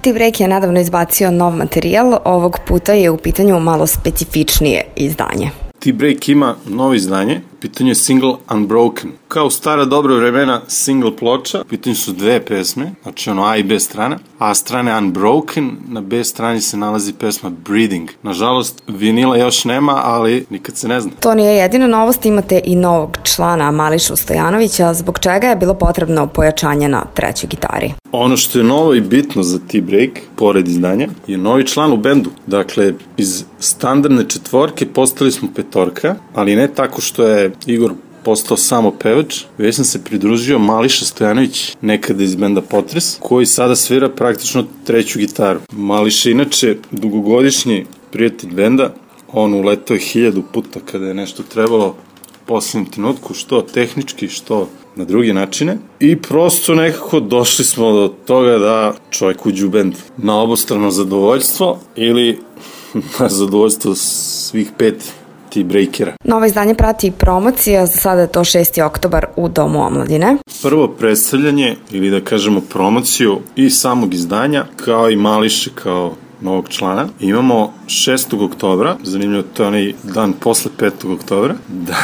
T-Break je nedavno izbacio nov materijal, ovog puta je u pitanju malo specifičnije izdanje. T-Break ima novo izdanje, u pitanju je single Unbroken. Kao u stara dobra vremena single ploča, u pitanju su dve pesme, znači ono A i B strana, A strane Unbroken, na B strani se nalazi pesma Breathing. Nažalost, vinila još nema, ali nikad se ne zna. To nije jedina novost, imate i novog člana Mališu Stojanovića, zbog čega je bilo potrebno pojačanje na trećoj gitari. Ono što je novo i bitno za T-Break, pored izdanja, je novi član u bendu. Dakle, iz standardne četvorke postali smo petorka, ali ne tako što je Igor postao samo pevač, već sam se pridružio Mališa Stojanović, nekada iz benda Potres, koji sada svira praktično treću gitaru. Mališa inače dugogodišnji prijatelj benda, on uletao je 1000 puta kada je nešto trebalo u poslednjem trenutku, što tehnički, što na druge načine. I prosto nekako došli smo do toga da čovjek uđe u bend na obostrano zadovoljstvo ili na zadovoljstvo svih 5 T-Breakera. Novo izdanje prati promocija, za sada je to 6. oktobar u Domu omladine. Prvo predstavljanje, ili da kažemo promociju i samog izdanja, kao i Mališe kao novog člana. Imamo 6. oktobra, zanimljivo, to je onaj dan posle 5. oktobra.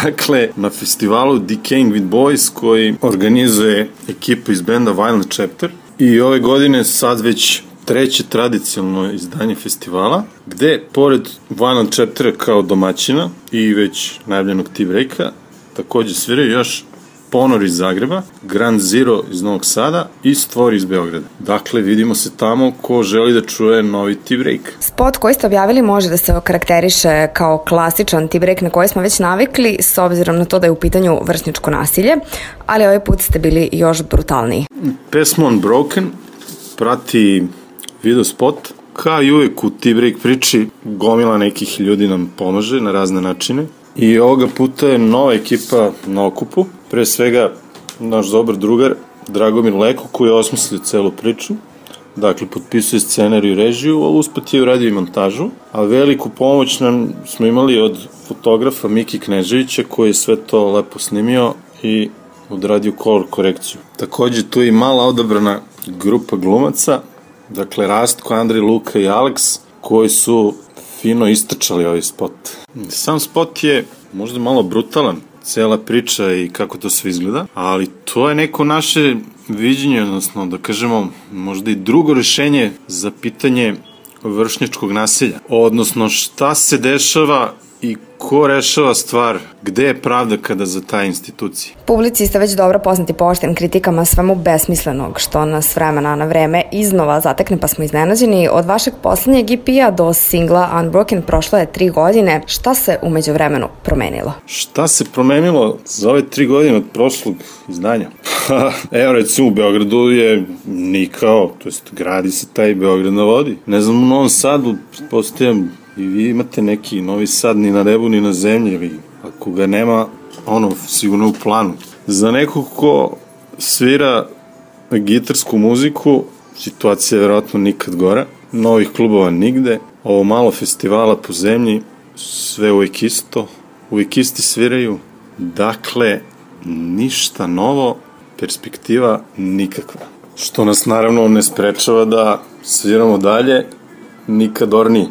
Dakle, na festivalu Decaying with Boys, koji organizuje ekipa iz benda Violent Chapter. I ove godine sad već treće tradicionalno izdanje festivala, gde, pored Violent Chaptera kao domaćina i već najavljenog T-Breaka, takođe sviraju još Ponor iz Zagreba, Grand Zero iz Novog Sada i Stvor iz Beograda. Dakle, vidimo se tamo ko želi da čuje novi T-Break. Spot koji ste objavili može da se okarakteriše kao klasičan T-Break na koji smo već navikli, s obzirom na to da je u pitanju vršnjačko nasilje, ali ovaj put ste bili još brutalniji. Pesma Unbroken prati video spot. Kao i uvek u T-Break priči, gomila nekih ljudi nam pomaže na razne načine. I ovoga puta je nova ekipa na okupu. Pre svega, naš dobar drugar, Dragomir Leko, koji je osmislio celu priču. Dakle, potpisuje scenariju i režiju, a usput je uradio i montažu. A veliku pomoć nam smo imali od fotografa Miki Kneževića, koji je sve to lepo snimio i odradio color korekciju. Takođe, tu je i mala odabrana grupa glumaca, dakle Rastko, Andrej, Luka i Alex, koji su fino istračali ovaj spot. Sam spot je možda malo brutalan, cela priča i kako to sve izgleda, ali to je neko naše viđenje, odnosno da kažemo možda i drugo rešenje za pitanje vršnjačkog nasilja. Odnosno šta se dešava i ko rešava stvar, gde je pravda kada za taj institucije. Publici ste već dobro poznati po oštrim kritikama svemu besmislenog što nas vremena na vreme iznova zatekne, pa smo iznenađeni. Od vašeg poslednjeg EP-a do singla Unbroken prošlo je 3 godine. Šta se umeđu vremenu promenilo? Šta se promenilo za ove 3 godine od prošlog izdanja? Evo, recimo u Beogradu je nikao, to jest gradi se taj Beograd na vodi. Ne znam, u Novom Sadu postavljam i vi imate neki Novi Sad ni na nebu ni na zemlji, ili ako ga nema, ono, sigurno u planu. Za nekog ko svira gitarsku muziku, situacija je verovatno nikad gora, novih klubova nigde, ovo malo festivala po zemlji, sve uvijek isto, uvijek isti sviraju, dakle, ništa novo, perspektiva nikakva. Što nas naravno ne sprečava da sviramo dalje, nikad ornije.